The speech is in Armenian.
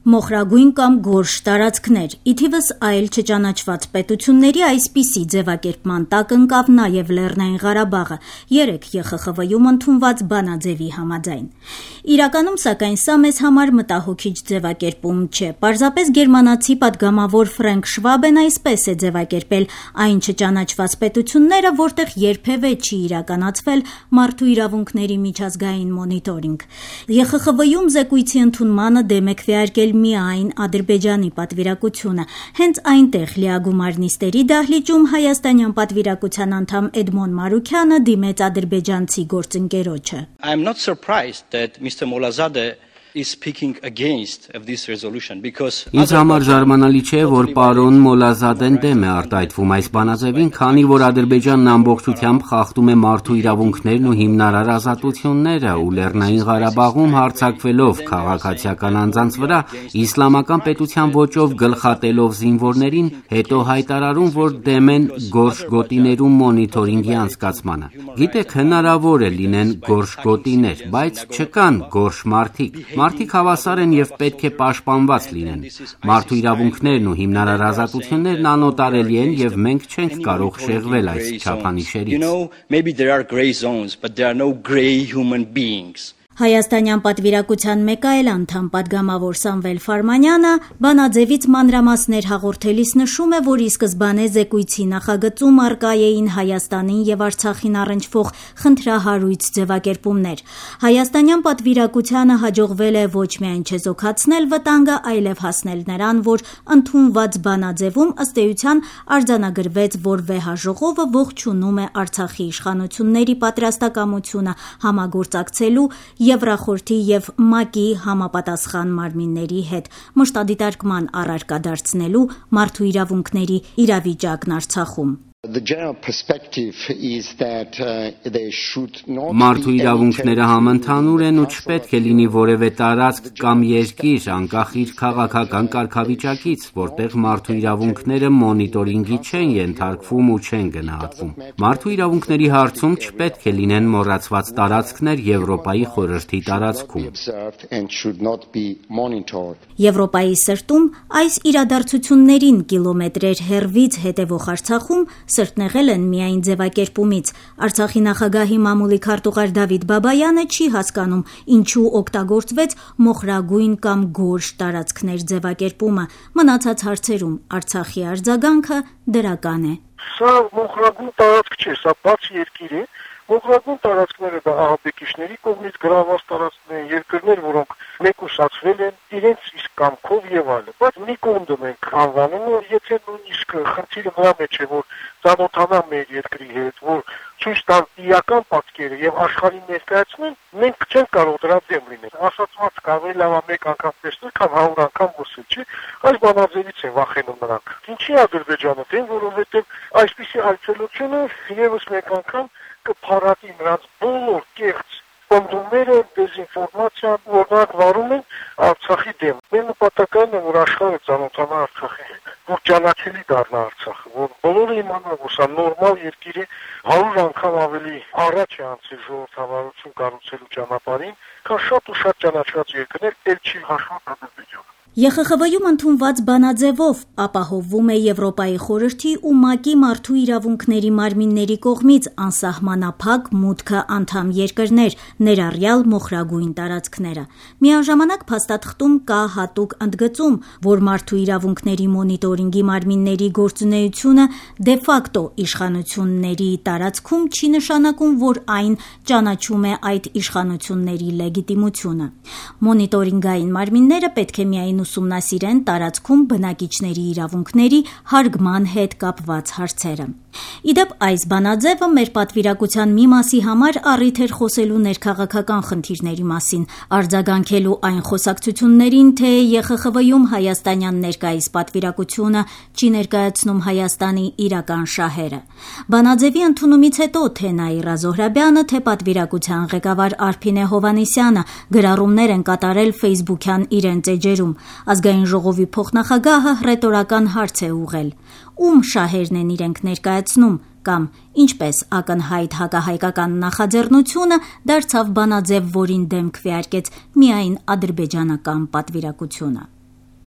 Մոխրագույն կամ գորշ տարածքներ, ի թիվս այլ չճանաչված պետությունների այսպիսի ձևակերպման տակ ընկավ նաև Լեռնային Ղարաբաղը, 3 ԵԽԽՎ-ում ընդունված բանաձևի համաձայն։ Իրականում, սակայն, սա մեզ համար մտահոգիչ ձևակերպում չէ։ Պարզապես գերմանացի պատգամավոր Ֆրենկ Շվաբեն այսպես է ձևակերպել այն չճանաչված պետությունները, որտեղ երբևէ չի իրականացվել մարդու իրավունքների միջազգային մոնիտորինգ։ ԵԽԽՎ-ում զեկույցի ընդունմանը դեմ է քվեարկել միայն Ադրբեջանի պատվիրակությունը։ Հենց այնտեղ լիագումար նիստերի դահլիճում հայաստանյան պատվիրակության անդամ Էդմոն Մարուքյանը դիմեց ադրբեջանցի գործընկերոջը։ I'm not surprised that Mr. Molazade is speaking against this resolution because Ինձ համար զարմանալի չէ, որ պարոն Մոլազադեն դեմ է արտահայտվում այս բանաձևին, քանի որ Ադրբեջանն ամբողջությամբ խախտում է մարդու իրավունքներն ու հիմնարար ազատությունները ու Լեռնային Ղարաբաղում հարձակվելով քաղաքացիական անձանց վրա, իսլամական պետության ոճով գլխատելով զինվորներին, հետո հայտարարում, որ դեմ են գորշ գոտիներում մոնիտորինգի անցկացմանը։ Գիտեք, հնարավոր է լինեն գորշ գոտիներ, բայց չկան գորշ մարդիկ։ Մարդիկ հավասար են եւ պետք է պաշտպանված լինեն։ Մարդու իրավունքներն ու հիմնարար ազատություններն անօտարելի են եւ մենք չենք կարող շեղվել այս չափանիշերից։ Հայաստանյան պատվիրակության մեկ այլ անդամ պատգամավոր Սամվել Ֆարմանյանը բանաձևից մանրամասներ հաղորդելիս նշում է, որ ի սկզբանե զեկույցի նախագծում առկա էին Հայաստանին եւ Արցախին առնչվող խնդրահարույց ձևակերպումներ։ Հայաստանյան պատվիրակությանը հաջողվել է ոչ միայն չեզոքացնել վտանգը, այլև հասնել նրան, որ ընդունված բանաձևում ըստ էության արձանագրվեց, որ վեհաժողովը ողջունում է Արցախի իշխանությունների պատրաստակամությունը համագործակցելու Եվրախորհրդի եւ ՄԱԿ-ի համապատասխան մարմինների հետ մշտադիտարկման առարկա դարձնելու մարդու իրավունքների իրավիճակն Արցախում։ Մարդու իրավունքները համընդհանուր են ու չպետք է լինի որևէ տարածք կամ երկիր, անկախ իր քաղաքական կարգավիճակից, որտեղ մարդու իրավունքները մոնիտորինգի չեն ենթարկվում ու չեն գնահատվում։ Մարդու իրավունքների հարցում չպետք է լինեն մոռացված տարածքներ Եվրոպայի խորհրդի տարածքում։ Եվրոպայի սրտում այս իրադարձություններին կիլոմետրեր հեռվից հետևող Արցախում սրտնեղել են միայն ձևակերպումից։ Արցախի նախագահի մամուլի քարտուղար Դավիթ Բաբայանը չի հասկանում, ինչու օգտագործվեց մոխրագույն կամ գորշ տարածքներ ձևակերպումը։ Մնացած հարցերում Արցախի արձագանքը դրական է։ Սա մոխրագույն տարածք չէ, սա բաց երկիր է։ Մոխրագույն տարածքները դա ահաբեկիչների կողմից գրաված տարածքներ են, երկրներ, որոնք մեկուսացվել են իրենց իսկ կամքով եւ այլն։ Բայց մի կողմ դնենք անվանումը, եթե նույնիսկ խնդիրը նրա մեջ է, որ ծանոթանա մեր երկրի հետ, որ ցույց տան իրական պատկերը եւ աշխարհին ներկայացնեն, մենք չենք կարող դրա դեմ լինել։ Ասացված կարելի լավ մեկ անգամ տեսնել, քան 100 անգամ խոսել, չէ՞։ Այս բանաձևից են վախենում նրանք։ Ինչի Ադրբեջանը դեմ, որովհետեւ այսպիսի այցելությունը եւս մեկ անգամ կփառատի նրանց բոլոր կեղծ պնդումները, դեզինֆորմացիան, որ նրանք վարում են Արցախի դեմ։ Մեր նպատակն է, որ աշխարհը ծանոթանա Արցախի հետ, որ ճանաչելի դառնա Արցախը, որ բոլորը իմանան, որ սա նորմալ երկիր է, 100 անգամ ավելի առաջ է անցել ժողովրդավարություն կառուցելու ճանապարհին, քան շատ ու շատ ճանաչված երկրներ, ել չի հաշված Ադրբեջանը։ ԵԽԽՎ-ում ընդունված բանաձևով ապահովվում է Եվրոպայի խորհրդի ու ՄԱԿ-ի մարդու իրավունքների մարմինների կողմից անսահմանափակ մուտքը անդամ երկրներ, ներառյալ մոխրագույն տարածքները։ Միաժամանակ փաստաթղթում կա հատուկ ընդգծում, որ մարդու իրավունքների մոնիտորինգի մարմինների գործունեությունը դե ֆակտո իշխանությունների տարածքում չի նշանակում, որ այն ճանաչում է այդ իշխանությունների լեգիտիմությունը։ Մոնիտորինգային մարմինները պետք է միայն ուսումնասիրեն տարածքում բնակիչների իրավունքների հարգման հետ կապված հարցերը։ Իդեպ այս բանաձևը մեր պատվիրակության մի մասի համար առիթ էր խոսելու ներքաղաքական խնդիրների մասին, արձագանքելու այն խոսակցություններին, թե ԵԽԽՎ-ում հայաստանյան ներկայիս պատվիրակությունը չի ներկայացնում Հայաստանի իրական շահերը։ Բանաձևի ընդունումից հետո թե Նաիրա Զոհրաբյանը, թե պատվիրակության ղեկավար Արփինե Հովհաննիսյանը գրառումներ են կատարել Facebook-յան իրենց էջերում։ Ազգային ժողովի փոխնախագահը հռետորական հարց է ուղղել. ում շահերն են իրենք ներկայացնում կամ ինչպես ակնհայտ հակահայկական նախաձեռնությունը դարձավ բանաձև, որին դեմ քվեարկեց միայն ադրբեջանական պատվիրակությունը։